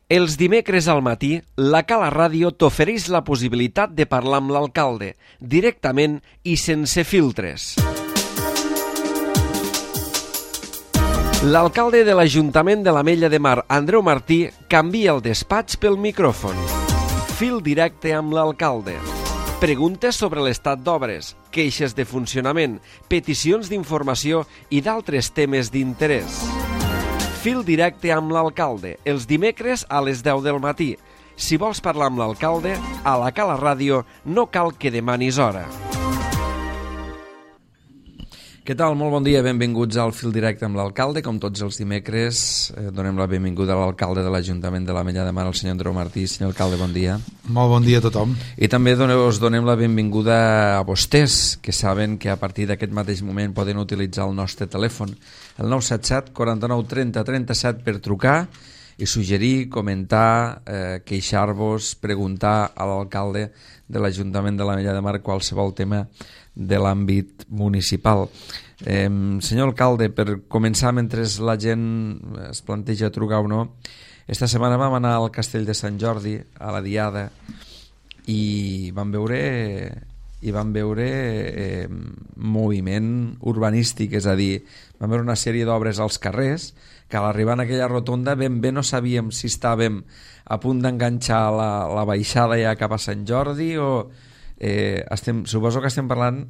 Els dimecres al matí, la Cala Ràdio t'ofereix la possibilitat de parlar amb l'alcalde, directament i sense filtres. L'alcalde de l'Ajuntament de l'Ametlla de Mar, Andreu Martí, canvia el despatx pel micròfon. Fil directe amb l'alcalde. Preguntes sobre l'estat d'obres, queixes de funcionament, peticions d'informació i d'altres temes d'interès. Fil directe amb l'alcalde, els dimecres a les 10 del matí. Si vols parlar amb l'alcalde, a la Cala Ràdio no cal que demanis hora. Què tal? Molt bon dia, benvinguts al Fil Directe amb l'alcalde. Com tots els dimecres, donem la benvinguda a l'alcalde de l'Ajuntament de l'Ametlla de Mar, el senyor Andreu Martí. Senyor alcalde, bon dia. Molt bon dia a tothom. I també us donem la benvinguda a vostès, que saben que a partir d'aquest mateix moment poden utilitzar el nostre telèfon, el 977 49 30 37, per trucar i suggerir, comentar, queixar-vos, preguntar a l'alcalde de l'Ajuntament de l'Ametlla de Mar qualsevol tema de l'àmbit municipal. Senyor alcalde, per començar, mentre la gent es planteja trucar o no, esta setmana vam anar al Castell de Sant Jordi, a la Diada, i vam veure moviment urbanístic, és a dir, vam veure una sèrie d'obres als carrers que a l'arribar en aquella rotonda ben bé no sabíem si estàvem a punt d'enganxar la baixada ja cap a Sant Jordi o... suposo que estem parlant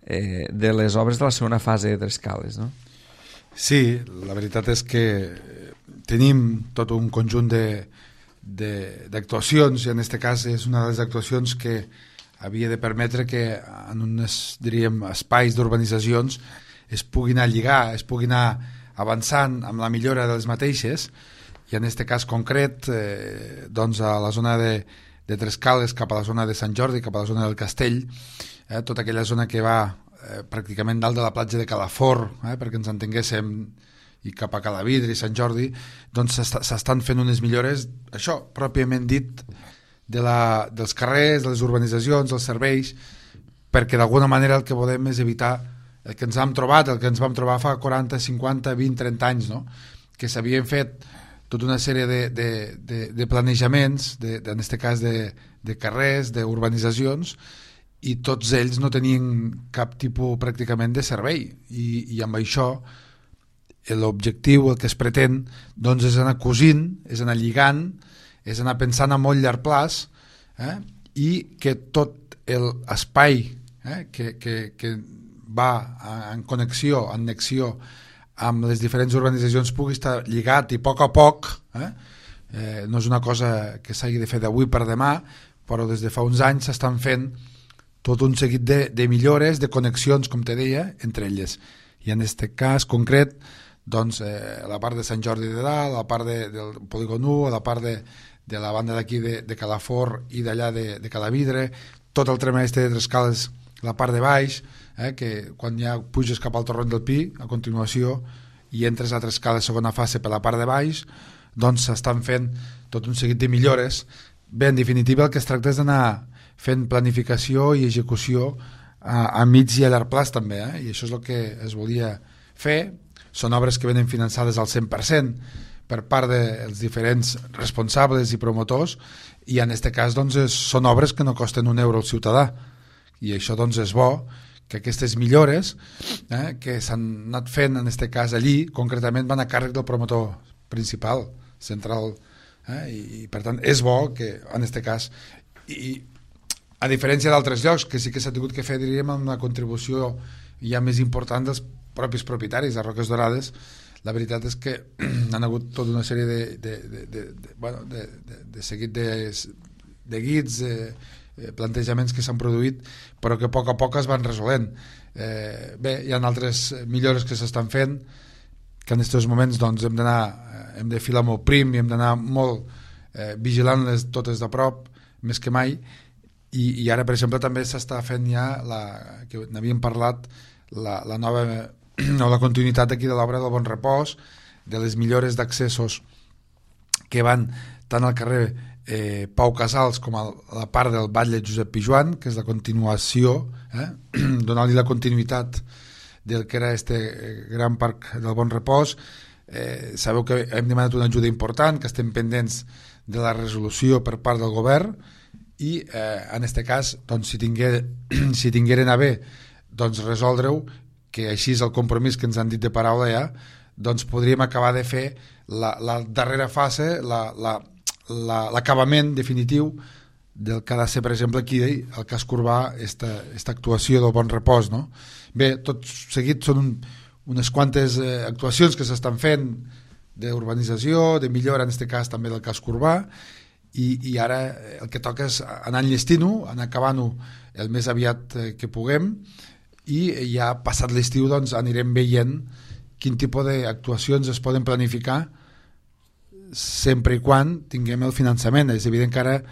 de les obres de la segona fase de Trescales, no? Sí, la veritat és que tenim tot un conjunt d'actuacions, i en aquest cas és una de les actuacions que havia de permetre que en uns, diríem, espais d'urbanitzacions es pugui anar a lligar, es pugui anar avançant amb la millora de les mateixes, i en aquest cas concret doncs a la zona de Trescales cap a la zona de Sant Jordi, cap a la zona del Castell, tota aquella zona que va pràcticament dalt de la platja de Calafort, perquè ens entenguéssim, i cap a Calavidre i Sant Jordi, doncs s'estan fent unes millores, això, pròpiament dit, dels carrers, de les urbanitzacions, dels serveis, perquè d'alguna manera el que volem és evitar el que ens vam trobar fa 40, 50, 20, 30 anys, no? Que s'havien fet tota una sèrie de planejaments, en aquest cas de carrers, d'urbanitzacions, i tots ells no tenien cap tipus pràcticament de servei, i amb això l'objectiu, el que es pretén, doncs és anar cosint, és anar lligant, és anar pensant a molt llarg plaç, i que tot l'espai que va en connexió, en annexió amb les diferents urbanitzacions pugui estar lligat, i a poc, no és una cosa que s'hagi de fer d'avui per demà, però des de fa uns anys s'estan fent tot un seguit de millores, de connexions, com te deia, entre elles. I en aquest cas concret, doncs, la part de Sant Jordi de dalt, la part del Polígon 1, la part de la banda d'aquí de Calafort i d'allà de Calavidre, tot el tram de Trescales, la part de baix, que quan ja puges cap al Torrent del Pi, a continuació, i entres a Trescales segona fase per la part de baix, doncs s'estan fent tot un seguit de millores. Bé, en definitiva, el que es tracta és d'anar fent planificació i execució a mig i a llarg plaç també, i això és el que es volia fer. Són obres que venen finançades al 100% per part dels diferents responsables i promotors, i en aquest cas doncs, són obres que no costen un euro al ciutadà, i això doncs, és bo que aquestes millores que s'han anat fent en aquest cas allí, concretament van a càrrec del promotor principal, central, i per tant és bo que en aquest cas, i a diferència d'altres llocs que sí que s'ha tingut que fer, diríem, amb una contribució ja més important dels propis propietaris. A Roques Dorades la veritat és que han hagut tota una sèrie de seguit de guits, plantejaments que s'han produït, però que a poc es van resolent. Bé, hi ha altres millores que s'estan fent, que en aquests moments doncs, hem de filar molt prim i hem d'anar molt vigilant-les totes de prop, més que mai, i ara, per exemple, també s'està fent ja, que n'havíem parlat, la nova o la continuïtat aquí de l'obra del Bon Repòs, de les millores d'accessos que van tant al carrer Pau Casals com a la part del Batlle Josep Pijuan, que és la continuació, donant-li la continuïtat del que era este gran parc del Bon Repòs, sabeu que hem demanat una ajuda important, que estem pendents de la resolució per part del govern, i en aquest cas doncs, si tingueren a bé doncs, resoldre-ho, que així és el compromís que ens han dit de paraula ja, doncs podríem acabar de fer la darrera fase, l'acabament definitiu del que ha de ser, per exemple, aquí el cas Corbà, esta actuació del Bon Repòs, no? Bé, tot seguit són unes quantes actuacions que s'estan fent d'urbanització, de millora, en aquest cas també del cas Corbà, i ara el que toca és anar enllestint-ho, anar acabant-ho el més aviat que puguem, i ja passat l'estiu doncs, anirem veient quin tipus d'actuacions es poden planificar sempre i quan tinguem el finançament. És evident que ara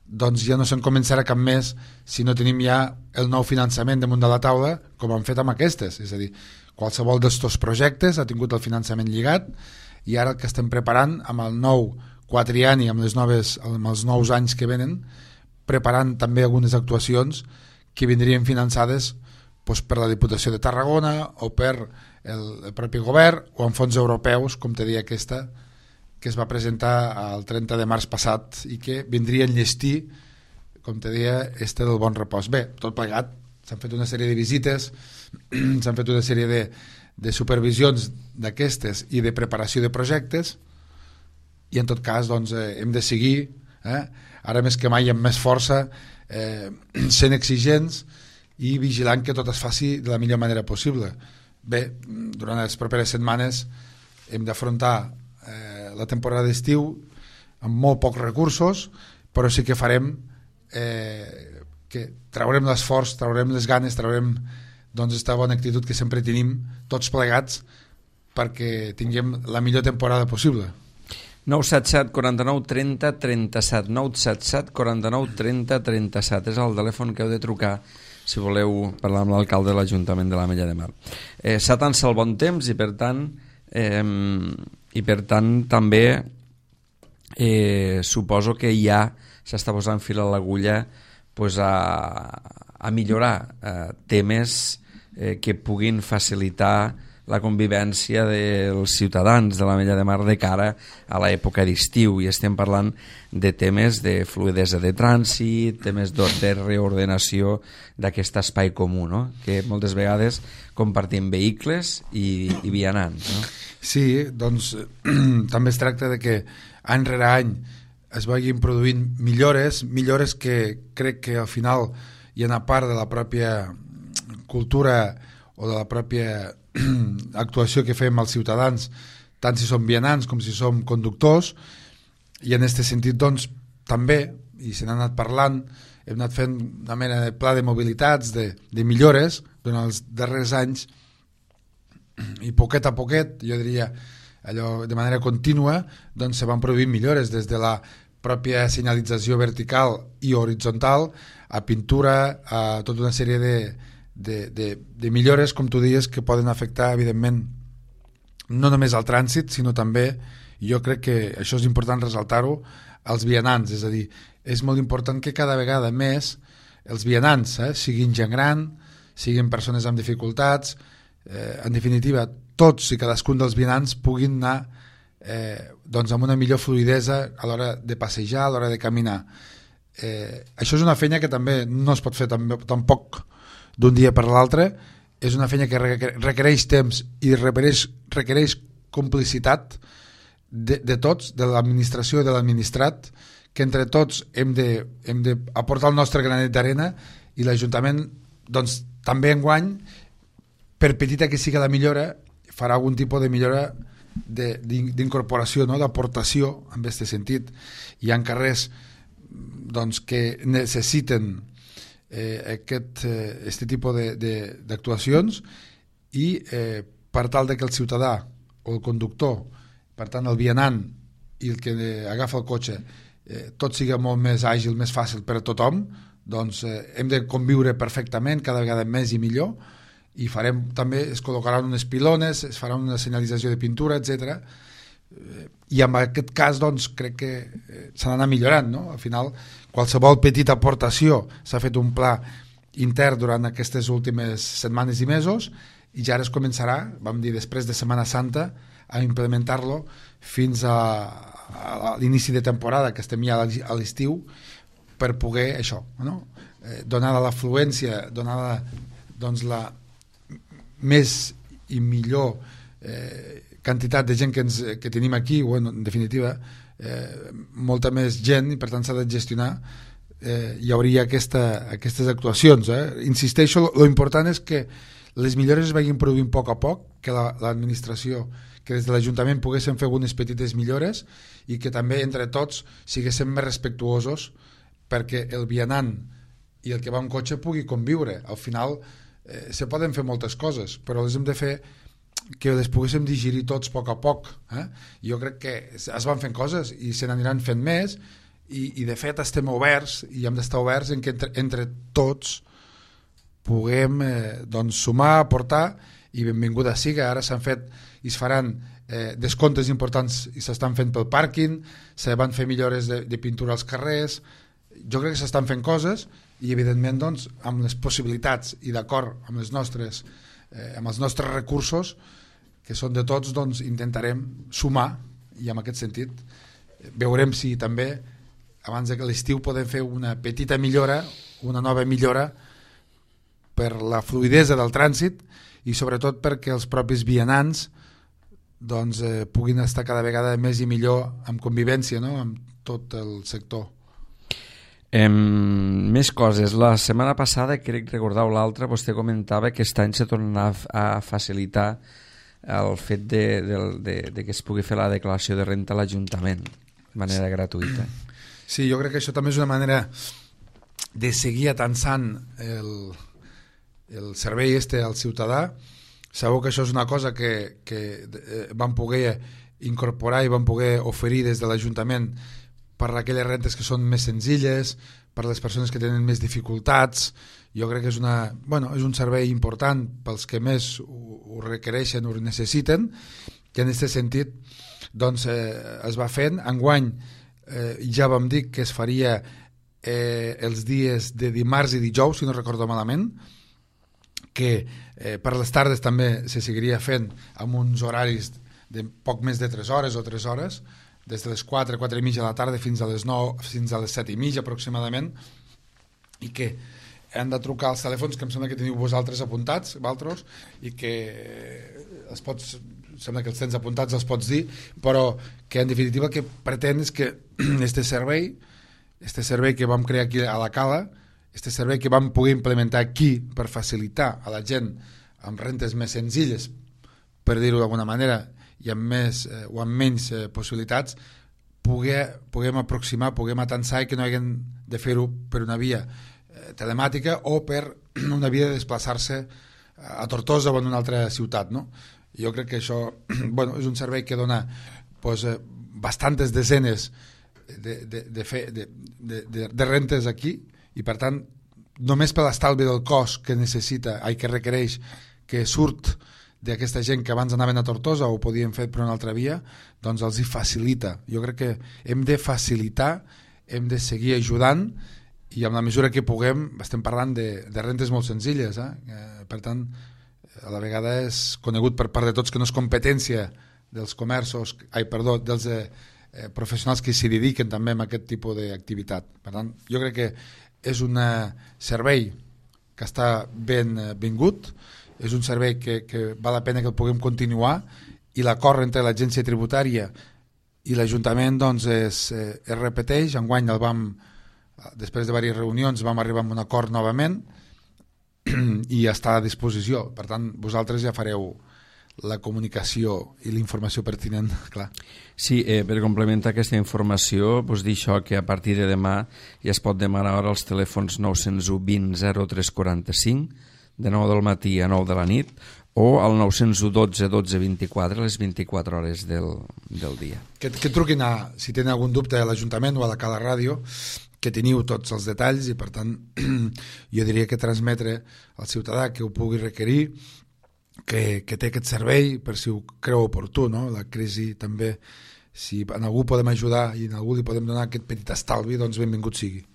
doncs, ja no se'n començarà cap més si no tenim ja el nou finançament damunt de la taula, com han fet amb aquestes. És a dir, qualsevol d'estos projectes ha tingut el finançament lligat, i ara el que estem preparant amb el nou quatriani, amb els nous anys que venen, preparant també algunes actuacions que vindrien finançades doncs, per la Diputació de Tarragona o per el propi govern o en fons europeus, com te deia aquesta, que es va presentar el 30 de març passat i que vindria a enllestir, com te deia, del Bon Repòs. Bé, tot plegat, s'han fet una sèrie de visites, s'han fet una sèrie de supervisions d'aquestes i de preparació de projectes, i en tot cas doncs, hem de seguir, ara més que mai amb més força, sent exigents i vigilant que tot es faci de la millor manera possible. Bé, durant les properes setmanes hem d'afrontar la temporada d'estiu amb molt pocs recursos, però sí que farem que traurem l'esforç, traurem les ganes, traurem doncs esta bona actitud que sempre tenim tots plegats perquè tinguem la millor temporada possible. 977 49 30 37 977 49 30 37 és el telèfon que heu de trucar si voleu parlar amb l'alcalde de l'Ajuntament de l'Ametlla de Mar. S'atança el bon temps i per tant també suposo que ja s'està posant fil a l'agulla pues, a millorar temes que puguin facilitar la convivència dels ciutadans de l'Ametlla de Mar de cara a l'època d'estiu, i estem parlant de temes de fluidesa de trànsit, temes de reordenació d'aquest espai comú, no? Que moltes vegades compartim vehicles i vianants, no? Sí, doncs també es tracta de que any rere any es vagin produint millores que crec que al final hi ha una part de la pròpia cultura o de la pròpia actuació que fem als ciutadans, tant si som vianants com si som conductors, i en aquest sentit doncs també, i se n'ha anat parlant, hem anat fent una mena de pla de mobilitats, de millores durant els darrers anys, i poquet a poquet, jo diria allò de manera contínua, doncs se van produint millores des de la pròpia senyalització vertical i horitzontal a pintura, a tota una sèrie de millores, com tu dius, que poden afectar evidentment no només al trànsit, sinó també, jo crec que això és important ressaltar-ho, als vianants. És a dir, és molt important que cada vegada més els vianants siguin gent gran, siguin persones amb dificultats, en definitiva tots i cadascun dels vianants puguin anar doncs amb una millor fluidesa a l'hora de passejar, a l'hora de caminar. Això és una feina que també no es pot fer tampoc d'un dia per l'altre, és una feina que requereix temps i requereix complicitat de tots, de l'administració i de l'administrat, que entre tots hem d'aportar el nostre granet d'arena, i l'Ajuntament doncs, també enguany, per petita que sigui la millora, farà algun tipus de millora d'incorporació, no? D'aportació en aquest sentit. Hi ha carrers doncs, que necessiten aquest tipus d'actuacions, i per tal de que el ciutadà o el conductor, per tant el vianant i el que agafa el cotxe, tot sigui molt més àgil, més fàcil per a tothom, doncs hem de conviure perfectament, cada vegada més i millor, i farem també, es col·locaran unes pilones, es farà una senyalització de pintura, etc. I en aquest cas doncs, crec que s'ha d'anar millorant, no? Al final, qualsevol petita aportació, s'ha fet un pla intern durant aquestes últimes setmanes i mesos, i ja ara es començarà, vam dir després de Setmana Santa, a implementar-lo fins a l'inici de temporada, que estem ja a l'estiu, per poder això, no? Donada l'afluència, donada doncs, la més i millor quantitat de gent que tenim aquí, o en definitiva molta més gent, i per tant s'ha de gestionar, hi hauria aquestes actuacions. Insisteixo, lo important és que les millores es vagin produint a poc a poc, que l'administració, que des de l'Ajuntament poguéssim fer algunes petites millores i que també entre tots siguéssim més respectuosos perquè el vianant i el que va en cotxe pugui conviure. Al final se poden fer moltes coses, però les hem de fer que les poguéssim digerir tots a poc a poc. Jo crec que es van fent coses i se n'aniran fent més i de fet estem oberts i hem d'estar oberts en que entre tots puguem doncs, sumar, aportar, i benvinguda siga. Ara s'han fet i es faran descomptes importants i s'estan fent pel pàrquing, se van fer millores de pintura als carrers. Jo crec que s'estan fent coses i evidentment doncs, amb les possibilitats i d'acord amb els nostres recursos, que són de tots, doncs, intentarem sumar, i en aquest sentit veurem si també abans que l'estiu podem fer una petita millora, una nova millora per la fluidesa del trànsit i sobretot perquè els propis vianants doncs, puguin estar cada vegada més i millor en convivència, no?, amb tot el sector. Més coses. La setmana passada, crec recordar l'altra, vostè comentava que aquest any se torna a facilitar el fet de que es pugui fer la declaració de renta a l'Ajuntament de manera gratuïta. Sí, jo crec que això també és una manera de seguir atansant el servei al ciutadà. Sabeu que això és una cosa que vam poder incorporar i vam poder oferir des de l'Ajuntament per aquelles rentes que són més senzilles, per les persones que tenen més dificultats. Jo crec que és un servei important pels que més ho requereixen, ho necessiten, que en aquest sentit doncs, es va fent. Enguany ja vam dir que es faria els dies de dimarts i dijous, si no recordo malament, que per les tardes també se seguiria fent amb uns horaris de poc més de 3 hores o 3 hores, des de les 4, 4 i mitja de la tarda fins a les 9, fins a les 7 i mitja aproximadament, i que han de trucar als telèfons que em sembla que teniu vosaltres apuntats, Valtros, i que sembla que els tens apuntats, els pots dir, però que en definitiva el que pretén és que este servei que vam crear aquí a la Cala, este servei que vam poder implementar aquí per facilitar a la gent amb rentes més senzilles, per dir-ho d'alguna manera, i amb més o amb menys possibilitats, puguem aproximar, puguem atansar, i que no haguem de fer-ho per una via telemàtica o per una via de desplaçar-se a Tortosa o en una altra ciutat, no? Jo crec que això és un servei que dona bastantes desenes de rentes aquí, i per tant només per l'estalvi del cost que requereix, que surt d'aquesta gent que abans anaven a Tortosa o ho podien fer per una altra via, doncs els hi facilita. Jo crec que hem de facilitar, hem de seguir ajudant, i amb la mesura que puguem estem parlant de rentes molt senzilles, per tant a la vegada és conegut per part de tots que no és competència dels dels professionals que s'hi dediquen també a aquest tipus d'activitat. Per tant, jo crec que és un servei que està ben vingut, és un servei que val la pena que el puguem continuar, i l'acord entre l'agència tributària i l'Ajuntament doncs es repeteix. Enguany després de diverses reunions vam arribar a un acord novament i està a disposició. Per tant, vosaltres ja fareu la comunicació i la informació pertinent, clar. Sí, per complementar aquesta informació, doncs dir això, que a partir de demà ja es pot demanar ara als telèfons 901 20 0345, de 9 del matí a 9 de la nit, o al 901 12 12 24, les 24 hores del dia. Que truquin si tenen algun dubte a l'Ajuntament o a la Cala Ràdio, que teniu tots els detalls, i per tant jo diria que transmetre al ciutadà que ho pugui requerir, que té aquest servei per si ho creu oportú, no? La crisi també, si en algú podem ajudar i en algú li podem donar aquest petit estalvi, doncs benvingut sigui.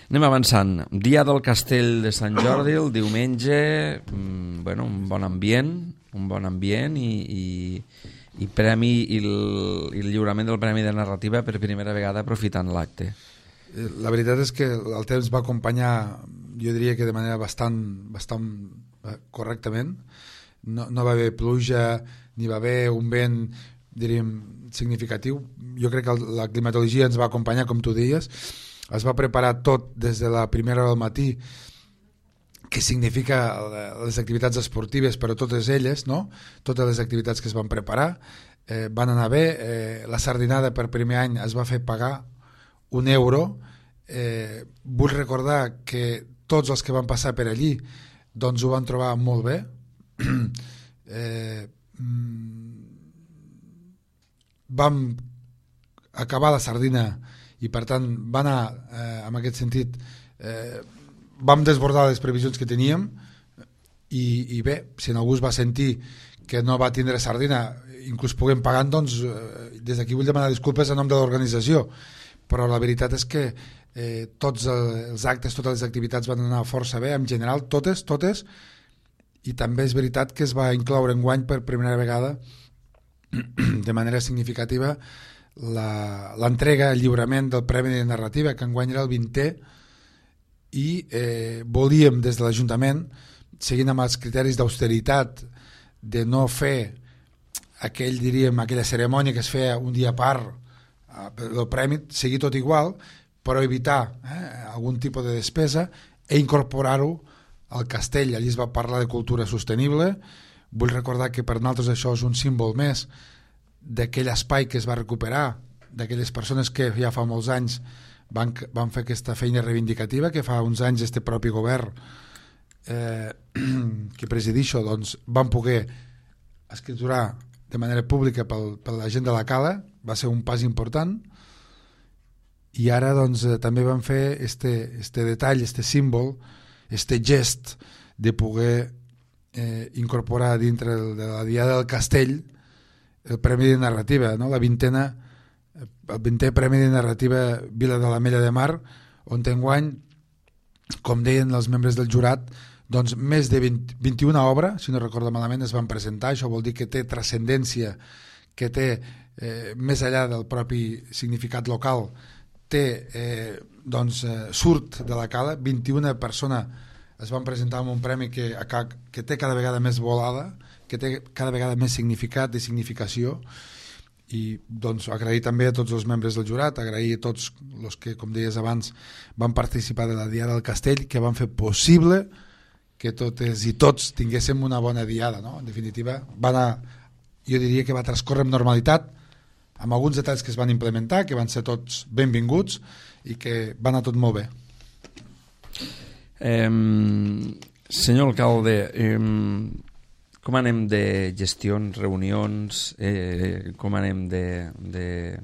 Anem avançant. Dia del Castell de Sant Jordi, el diumenge, un bon ambient i i el lliurament del Premi de Narrativa per primera vegada aprofitant l'acte. La veritat és que el temps va acompanyar, jo diria que de manera bastant correctament. No va haver pluja ni va haver un vent, diríem, significatiu. Jo crec que la climatologia ens va acompanyar, com tu deies. Es va preparar tot des de la primera hora del matí, que significa les activitats esportives, però totes elles, no? Totes les activitats que es van preparar van anar bé. La sardinada per primer any es va fer pagar €1. Vull recordar que tots els que van passar per allí doncs ho van trobar molt bé. Vam acabar la sardina i per tant va anar en aquest sentit, vam desbordar les previsions que teníem i bé, si en algú es va sentir que no va tindre sardina, inclús puguem pagant, doncs des d'aquí vull demanar disculpes en nom de l'organització, però la veritat és que tots els actes, totes les activitats van anar força bé, en general totes, i també és veritat que es va incloure enguany per primera vegada de manera significativa l'entrega, el lliurament del Premi de Narrativa, que enguany era el 20è, i volíem des de l'Ajuntament, seguint amb els criteris d'austeritat, de no fer aquella cerimònia que es feia un dia a part del premi, seguir tot igual, però evitar algun tipus de despesa i incorporar-ho al castell. Allí es va parlar de cultura sostenible. Vull recordar que per nosaltres això és un símbol més d'aquell espai que es va recuperar, d'aquelles persones que ja fa molts anys van fer aquesta feina reivindicativa, que fa uns anys este propi govern que presidixo doncs van poder escriturar de manera pública per la gent de la Cala. Va ser un pas important, i ara doncs també van fer este detall, este símbol, este gest de poder incorporar dintre de la Diada del Castell el Premi de Narrativa, no? El 20è Premi de Narrativa Vila de l'Ametlla de Mar, on enguany, com deien els membres del jurat, doncs més de 21 obres, si no recordo malament, es van presentar. Això vol dir que té transcendència, que té, més enllà del propi significat local, surt de la Cala. 21 persones es van presentar amb un premi que té cada vegada més volada, que té cada vegada més significat i significació, i doncs agrair també a tots els membres del jurat, agrair a tots els que, com deies abans, van participar de la Diada del Castell, que van fer possible que totes i tots tinguéssim una bona diada, no? En definitiva, jo diria que va transcorrer amb normalitat, amb alguns detalls que es van implementar, que van ser tots benvinguts i que va anar tot molt bé. Senyor alcalde, com anem de gestions, reunions, com anem de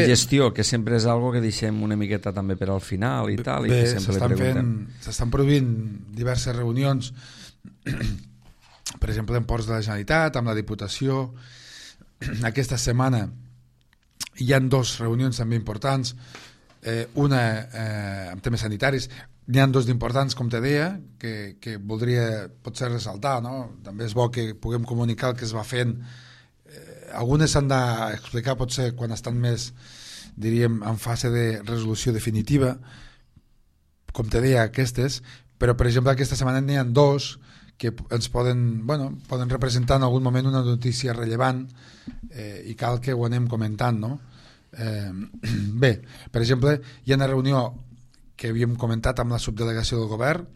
gestió, que sempre és algo que deixem una miqueta també per al final i tal, i que sempre li preguntem. S'estan produint diverses reunions, per exemple en Ports de la Generalitat, amb la Diputació. Aquesta setmana hi ha 2 reunions també importants, una amb temes sanitaris. N'hi ha 2 d'importants, com te deia, que voldria potser ressaltar, no? També és bo que puguem comunicar el que es va fent. Algunes s'han d'explicar potser quan estan més, diríem, en fase de resolució definitiva, com te deia, aquestes, però per exemple aquesta setmana n'hi ha 2 que ens poden representar en algun moment una notícia rellevant, i cal que ho anem comentant, no? Bé, per exemple, hi ha una reunió que havíem comentat amb la subdelegació del govern,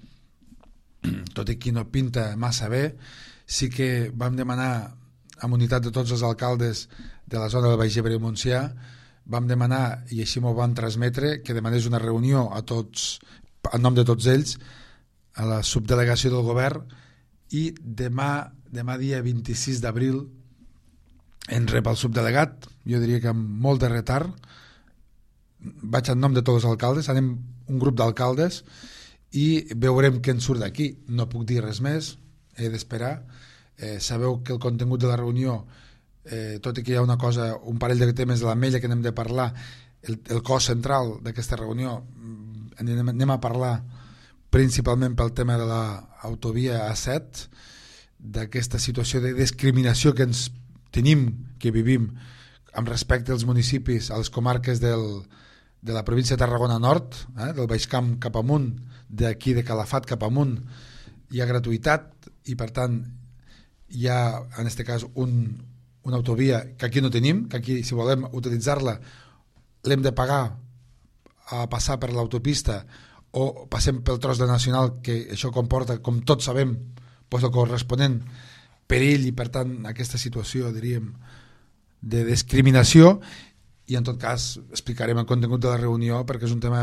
tot i que no pinta massa bé. Sí que vam demanar, amb unitat de tots els alcaldes de la zona del Baix Ebre i Montsià, vam demanar, i així m'ho van transmetre, que demanés una reunió a tots, en nom de tots ells, a la subdelegació del govern, i demà dia 26 d'abril en rep el subdelegat, jo diria que amb molt de retard. Vaig en nom de tots els alcaldes, anem un grup d'alcaldes i veurem què en surt d'aquí. No puc dir res més, he d'esperar. Sabeu que el contingut de la reunió, tot i que hi ha un parell de temes de l'Ametlla que n'hem de parlar, el cos central d'aquesta reunió anem a parlar principalment pel tema de l'autovia A7, d'aquesta situació de discriminació que ens tenim, que vivim amb respecte als municipis, a les comarques de la província de Tarragona Nord, del Baix Camp cap amunt, d'aquí de Calafat cap amunt, hi ha gratuïtat i per tant hi ha en aquest cas una autovia que aquí no tenim, que aquí si volem utilitzar-la l'hem de pagar a passar per l'autopista o passem pel tros de nacional, que això comporta, com tots sabem, pues el corresponent perill i per tant aquesta situació, diríem, de discriminació. I en tot cas explicarem el contingut de la reunió perquè és un tema,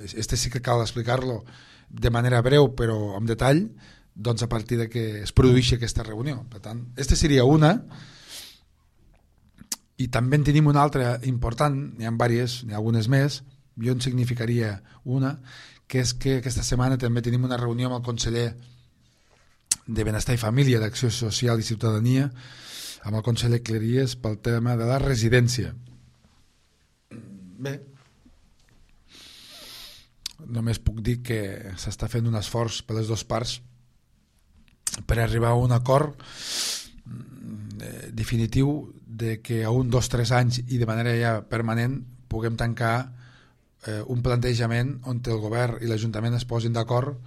este sí que cal explicar-lo de manera breu però amb detall, doncs a partir de que es produeixi aquesta reunió. Per tant, aquesta seria una, i també en tenim una altra important, n'hi ha diverses, n'hi ha algunes més, jo en significaria una, que és que aquesta setmana també tenim una reunió amb el conseller de Benestar i Família, d'Acció Social i Ciutadania, amb el conseller Cleries pel tema de la residència. Bé, només puc dir que s'està fent un esforç per les dues parts per arribar a un acord definitiu de que a 1, 2, 3 anys i de manera ja permanent puguem tancar un plantejament on el govern i l'Ajuntament es posin d'acord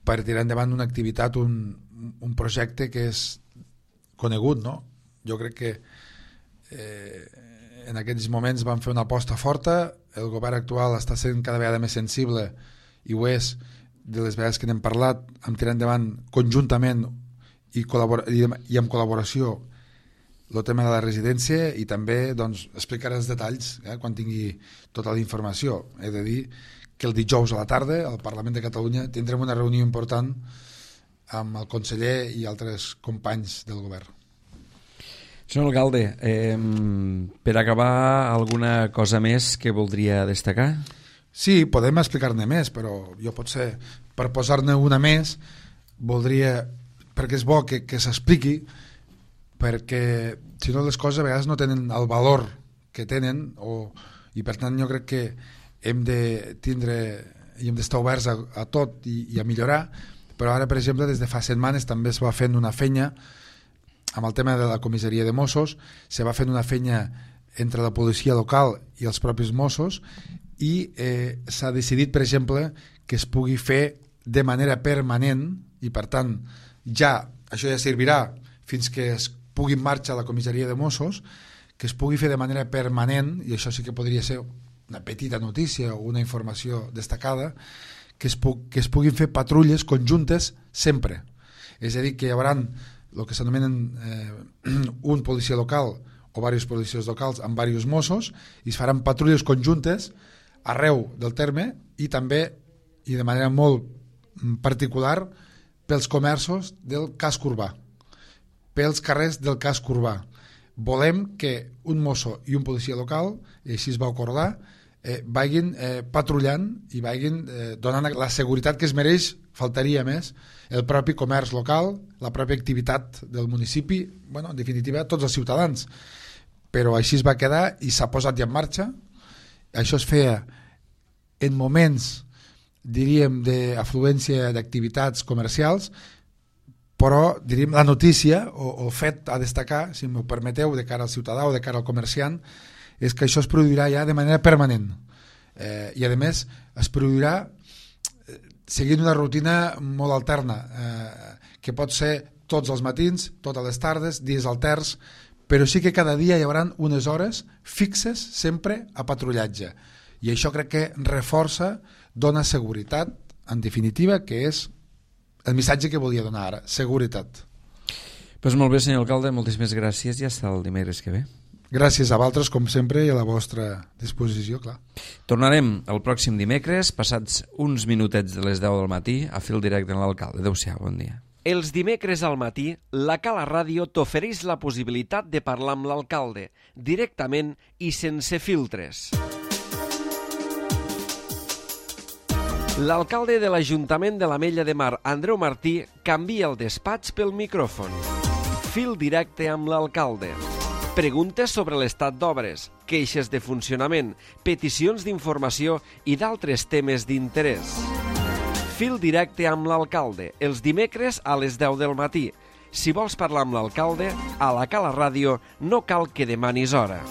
per tirar endavant una activitat, un projecte que és conegut, no? Jo crec que en aquests moments van fer una aposta forta, el govern actual està sent cada vegada més sensible i ho és de les vegades que n'hem parlat, amb tirar endavant conjuntament i amb col·laboració el tema de la residència i també doncs, explicaré els detalls quan tingui tota la informació. He de dir que el dijous a la tarda al Parlament de Catalunya tindrem una reunió important amb el conseller i altres companys del govern. Senyor alcalde, per acabar, alguna cosa més que voldria destacar? Sí, podem explicar-ne més, però jo potser per posar-ne una més voldria, perquè és bo que s'expliqui, perquè si no les coses a vegades no tenen el valor que tenen i per tant jo crec que hem de tindre i hem d'estar oberts a tot i a millorar, però ara per exemple des de fa setmanes també es va fent una feina amb el tema de la comissaria de Mossos, se va fent una feina entre la policia local i els propis Mossos i s'ha decidit per exemple que es pugui fer de manera permanent i per tant això ja servirà fins que es pugui en marxa la comissaria de Mossos, que es pugui fer de manera permanent, i això sí que podria ser una petita notícia o una informació destacada, que es puguin fer patrulles conjuntes sempre. És a dir, que hi haurà el que s'anomenen un policia local o diversos policies locals amb diversos Mossos i es faran patrulles conjuntes arreu del terme i també, i de manera molt particular, pels comerços del casc urbà, pels carrers del casc urbà. Volem que un mosso i un policia local, i així es va acordar, vagin patrullant i vagin donant la seguretat que es mereix, faltaria més, el propi comerç local, la pròpia activitat del municipi, bueno, en definitiva, tots els ciutadans. Però així es va quedar i s'ha posat ja en marxa. Això es feia en moments, diríem, d'afluència d'activitats comercials, però diríem la notícia o el fet a destacar, si m'ho permeteu, de cara al ciutadà o de cara al comerciant, és que això es produirà ja de manera permanent i a més es produirà seguint una rutina molt alterna que pot ser tots els matins, totes les tardes, dies alterns, però sí que cada dia hi haurà unes hores fixes sempre a patrullatge i això crec que reforça, dona seguretat, en definitiva, que és el missatge que volia donar ara, seguretat. Pues molt bé, senyor alcalde, moltíssimes gràcies i hasta el dimecres que ve. Gràcies a vosaltres, com sempre, i a la vostra disposició, clar. Tornarem el pròxim dimecres, passats uns minutets de les 10 del matí, a fil directe amb l'alcalde. Adéu-siau, bon dia. Els dimecres al matí, la Cala Ràdio t'ofereix la possibilitat de parlar amb l'alcalde, directament i sense filtres. L'alcalde de l'Ajuntament de l'Ametlla de Mar, Andreu Martí, canvia el despatx pel micròfon. Fil directe amb l'alcalde. Preguntes sobre l'estat d'obres, queixes de funcionament, peticions d'informació i d'altres temes d'interès. Fil directe amb l'alcalde, els dimecres a les 10 del matí. Si vols parlar amb l'alcalde, a la Cala Ràdio no cal que demanis hora.